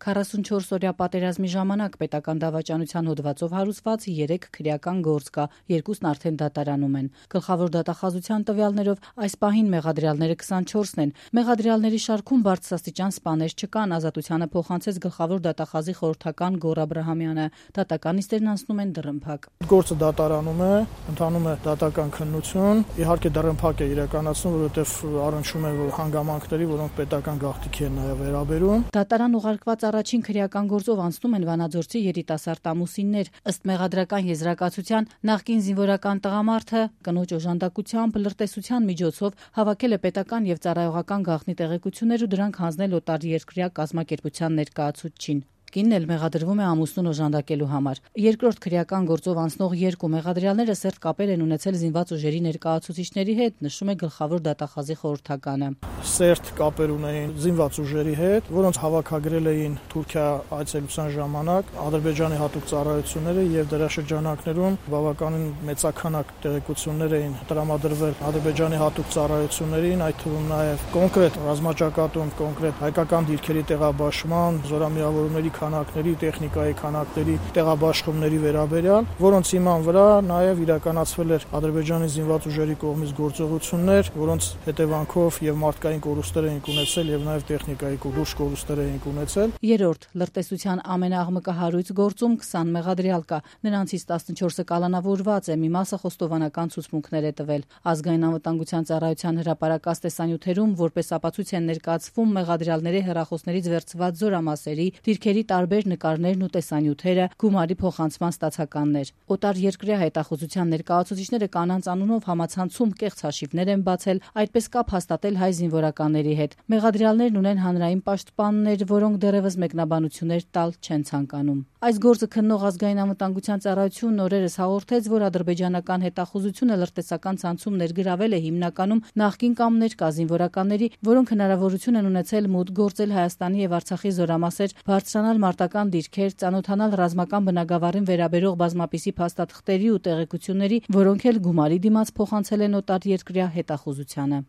44-օրյա պատերազմի ժամանակ պետական դավաճանության հոդվածով հարուցված 3 քրեական գործ կա, 2-ն արդեն դատարանում են։ Գլխավոր դատախազության տվյալներով այս պահին մեղադրյալները 24-ն են։ Մեղադրյալների շարքում բարձրաստիճան սպաներ չկան, ազատությանը փոխանցեց գլխավոր դատախազի խորհրդական Գոռ Աբրահամյանը։ Դատական նիստերն անցնում են դռնփակ։ Գործը դատարանում է, ընթանում է դատական քննություն, իհարկե դռնփակ է իրականացնում, որովհետև առնչվում է հանգամանքների, որոնք պետական գաղտնիքի են նաև վերաբերում։ Դատարան ուղարկված առաջին քրեական գործով անցնում են Վանաձորցի երիտասարդ ամուսիններ։ Ըստ մեղադրական եզրակացության նախկին զինվորական տղամարդը կնոջ օժանդակությամբ լրտեսության միջոցով հավաքել է պետական եւ ծառայողական գաղտնի տեղեկություններ ու դրանք հանձնել օտարերկրյա կազմակերպության ներկայացուցչին։ Կինն էլ մեղադրվում է ամուսնուն օժանդակելու համար։ Երկրորդ քրեական գործով անցնող 2 մեղադրյալները սերտ կապեր են ունեցել զինված ուժերի ներկայացուցիչների հետ, նշում է գլխավոր դատախազի խորհրդականը։ Սերտ կապեր ունեին զինված ուժերի հետ, որոնց հավաքագրել էին Թուրքիա այցելության ժամանակ Ադրբեջանի հատուկ ծառայությունները եւ դրա շրջանակներում բավականին մեծաքանակ տեղեկություններ էին տրամադրվել Ադրբեջանի հատուկ ծառայություններին, այդ թվում նաեւ կոնկրետ ռազմաճակատում, կոնկրետ հայկական դիրքերի տեղաբաշխման, զորամիավորումների քանակների, տեխնիկայի քանակների, տեղաբաշխումների վերաբերյալ, որոնց հիման վրա նաև իրականացվել էր Ադրբեջանի զինված ուժերի կողմից գործողություններ, որոնց հետևանքով եւ մարդկային կորուստներ էին ունեցել եւ նաև տեխնիկայի լուրջ կորուստներ էին ունեցել։ Երրորդ լրտեսության ամենաաղմկահարույց գործում 20 մեղադրյալ կա, նրանցից 14-ը կալանավորված է, մի մասը խոստովանական ցուցմունքներ է տվել։ Ազգային անվտանգության ծառայության հրապարակած տեսանյութերում որպես ապացույց են ներկայացվում մեղադրյալների հեռախոսներից վերցված զորամասերի, դիրքերի տարբեր նկարներն ու տեսանյութերը, գումարի փոխանցման ստացականներ։ Օտարերկրյա հետախուզության ներկայացուցիչները կանանց անունով համացանցում կեղծ հաշիվներ են բացել, այդպես կապ հաստատել հայ զինվորականների հետ։ Մեղադրյալներն ունեն հանրային պաշտպաններ, որոնք դեռևս մեկնաբանություններ տալ չեն ցանկանում։ Այս գործը քննող ազգային անվտանգության ծառայությունն օրերս հաղորդեց, որ ադրբեջանական հետախուզությունը լրտեսական ցանցում ներգրավել է հիմնականում նախկին կամ ներկա զինվորականների, որոնք հնարավորություն են ունեցել մուտք գործել Հայաստանի եւ Արցախի զորամասեր, բարձրանալ մարտական դիրքեր, ծանոթանալ ռազմական բնագավառին վերաբերող բազմապիսի փաստաթղթերի ու տեղեկությունների, որոնք էլ գումարի դիմաց փոխանցել են օտարերկրյա հետախուզությանը։